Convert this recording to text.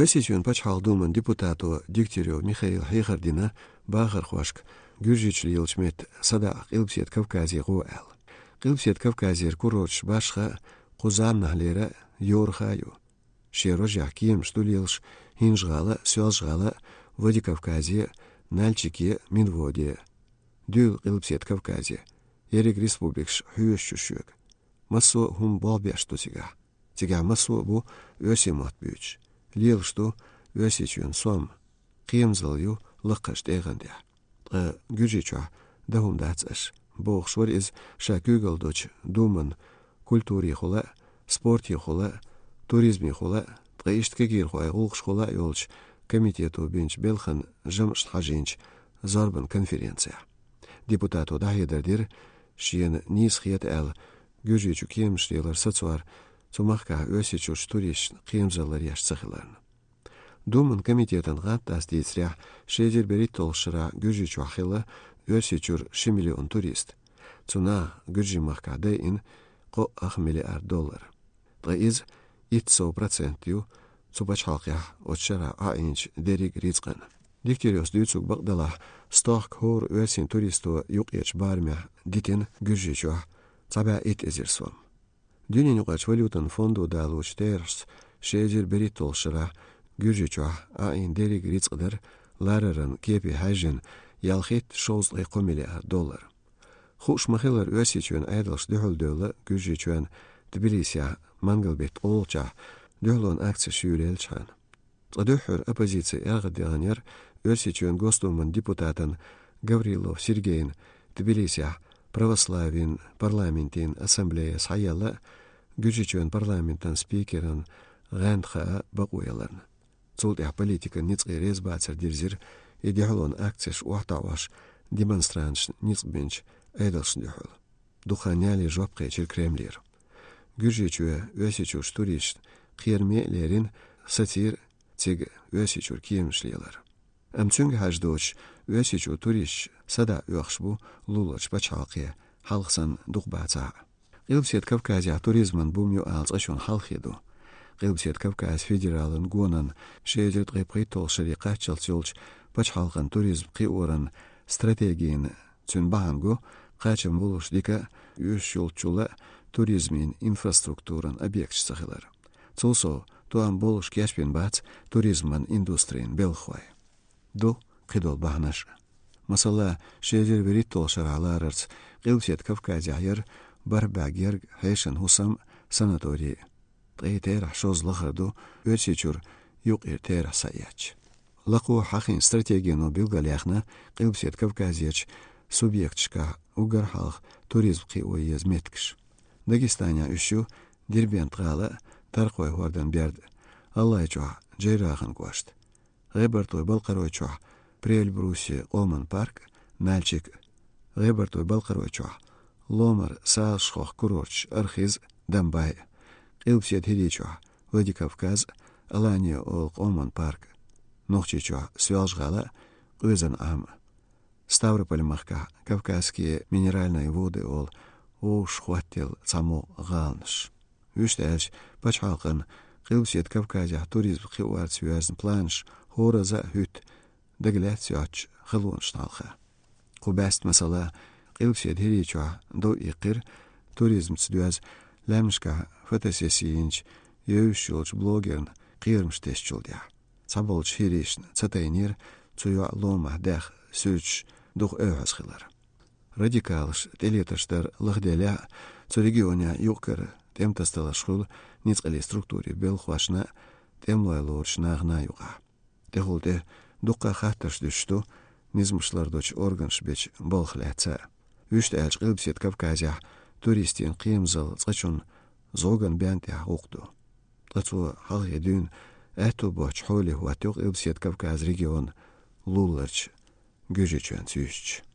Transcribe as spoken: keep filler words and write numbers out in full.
Оьрсийчоьнан пачхьалкхан думан депутато Дегтярев Михаила хьехар дина бахархошка Гуьржийчохь лелачу метта садаӀа Къилбаседа Кавказе гӀо аьлла. Къилбаседа Кавказера курорташ башха а, кху заманахьлера а йорах а ю. Шен рожехь кеманаш ду лелаш ХӀинжа-ГӀала, Соьлжа-ГӀала, Владикавказе, Нальчике, Минводе. Дуьйла Къилбаседа Кавказе, ерриг республикаш хьоьжуш ю шуьга. Массо а хӀума болх беш ду цигахь. Цигахь массо а бу оьрсийн мотт буьйцуш. Лелаш ду Оьрсийчоьнан сом. Кхерамзалла ю лакхарчу тӀегӀан тӀехь. Ткъа Гуьржийчохь дан хӀума дац аша, бохуш вара иза ша куьйгалла долчу думан культурехула а, спортехула а, туризмехула а, ткъа иштта кегийрхойн гӀуллакхашкахула а йолчу комитето бинчу белхан жамӀашна хьажийначу зорбан конференцехь. Депутато дӀахьедар дира, шена нийса хета аьлла, Гуьржийчу кеманаш лелар сацор цу махкахь Оьрсийчуьрчу туристашна кхерамзалла ларъеш ца хиларна. Думан комитетан гӀантдас дийцарехь, ши эзар берхӀитталгӀачу шарахь Гуьржийчохь хилла Оьрсийчуьра ши миллион турист. Цу наха Гуьржийн махкахь дайина кхо ах миллиард доллар. Ткъа иза итт сов процент ю цу пачхьалкхехь оцу шарахь Ӏаийначу дерриг а рицкъан. Дегтяревс дуьйцург бакъ делахь, стохка хӀора оьрсийн туристо юккъерчу барамехь дитина Гуьржийчохь цхьа бӀе итт эзар сом. Дуьненаюкъарчу валютан фондо далочу терахьца, ши эзар берхӀитталгӀачу шарахь Гуьржийчохь Ӏаийна дерриг а рицкъа дара, лараран кепе хьаьжжина, ялхитта шовзткъе кхо миллиард доллар. Хууш ма-хиллара, Оьрсийчоьнан Ӏедалша дуьхьал девлла Гуьржийчоьнан Тбилисехь мангал-беттан къолгӀачохь дуьхьалонан акцеш юьйлаелчхьана. Цкъа дуьххьара оппозици эргӀаддаьхнера Оьрсийчоьнан Госдуман депутатан Гаврилов Сергейн Тбилисехь православийн парламентийн ассамблея схьаелла Гуьржийчоьнан парламентан спикеран гӀанд хаа бакъо яларна. Цул тӀаьхьа политикан ницкъе реза бацар дирзира и дуьхьалонан акцеш охьатаӀош демонстранташна ницкъ бинчу Ӏедалшна дуьхьал. Дукха яле жоп кхечира Кремлера. Гуьржийчоь Оьрсийчуьрчу туристашна кхераме а лерина, сацийра цига Оьрсийчуьра кеманаш лелар. Амма цуьнга хьажа доцуш, Оьрсийчуьра туристаш садаӀа оьхуш бу луларчу пачхьалкхе, хьалха санна дукха бацахь а. Къилбаседа Кавказехь туризман бум ю ала цкъачунна хьалххе ду. Къилбаседа Кавказ федералан гонан ши эзар ткъе пхийтталгӀачу шаре кхаччалц йолчу пачхьалкхан туризм кхиоран стратегина цуьнан бахьана го, кхачам болуш дика а, уьш йолччул а туризмийн инфраструктуран объекташ ца хилар. Цул сов, тоам болуш кечбина бац туризман индустрин белхахой. Ду кхидолу бахьанаш а. Масала, ши эзар вуьрхӀитталгӀачу шарахь ларарца Къилбаседа Кавказехь яра бархӀ бӀе гергга хьешан хӀусам а, санаторий а. Ткъе терахь шозза лахара ду Оьрсийчуьра юккъера терахь схьаэцча. Лакхахь хьахийна стратегино билгалъяьхна Къилбаседа Кавказерчу субъекташкахь уггар хьалха туризм кхио еза меттигаш. Дагестанехь уьш ю Дербент-гӀала а, Таркхой-ХӀордан берд а, ГӀалгӀайчохь Джейрахан кӀошт а, ГӀебартойн-Балкхаройчохь Приэльбрусье къоман парк а, Нальчик а, ГӀебартойн-Балкхаройчохь Ломар, Сазашхохь курорташ Архыз а, Домбай а, Къилбаседа ХӀирийчохь Владикавказ а, Алания-Ола къоман парк а, Нохчийчохь Соьлжа-ГӀала а, Къоьзан-Ӏам а. Ставрополь-махкахь Кавказские минеральные воды олу вовшахӀоттаелла цхьамогӀа гӀаланаш. Вуьшта аьлча, пачхьалкхан Къилбаседа Кавказехь туризм кхиорца йоьзна планаш хӀоразза а хӀуьтту дагалаьцна йоцчу халонашна хьалха. Кху баьста масала, Къилбаседа ХӀирийчохь дов иккхира туризмца доьзна лаьмнашкахь фотосесси йинчу евзаш йолчу блогерна кхерамаш тесначул тӀаьхьа. Цхьаболчу хӀирийшна ца тайнера цу йоӀан ломахь даьхна суьрташ дукха оьхьаза хилар. Радикалаш тӀелетарш дар лахделехь а, цу регионехь юкъ-кара тӀематасадаларш хуьлу ницкъаллин структурийн белхахошна а, тӀемалой лоручу нахана а юкъахь. ТӀехула тӀе дуккха а хаттарш дуьсуш ду низамаш лардочу органаша бечу балхах лаьцна а. Вуьшта аьлча, Къилбаседа Кавказехь туристийн кхерамзалла цкъачунна зӀоган бен тӀехь гӀуллакх ду. Ткъа цо хьалхе дуьйна аьтто боцчу хьоле хӀоттайо Къилбаседа Кавказан регион луларчу Гуьржийчоьнца юьстича.